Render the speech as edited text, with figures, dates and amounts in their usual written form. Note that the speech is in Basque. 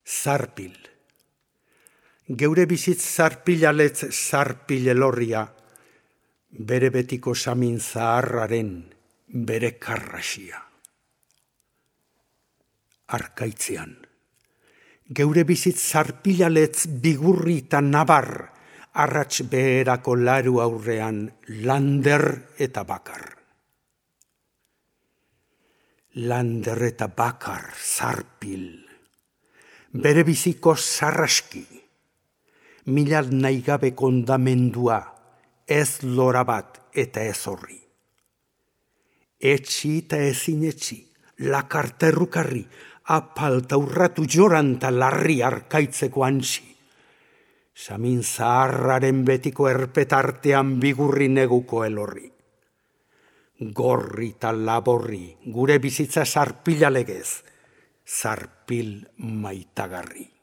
Zarpil. Geure bizitz zarpilaletz zarpil elorria, bere betiko samin zaharraren bere karrasia. Arkaitzean. Geure bizitz zarpilaletz bigurri eta nabar, arrats beherako laru aurrean lander eta bakar. Lander eta bakar zarpil. Bere biziko zarraski, mila nahigabe kondamendua, ez lora bat eta ez horri. Etxi eta ezin etxi, lakarterrukarri, apalta urratu joranta larri arkaitzeko antzi. Samin zaharraren betiko erpetartean bigurri neguko elorri. Gorri eta laborri, gure bizitza zarpilalegez, zarpil maitagarri.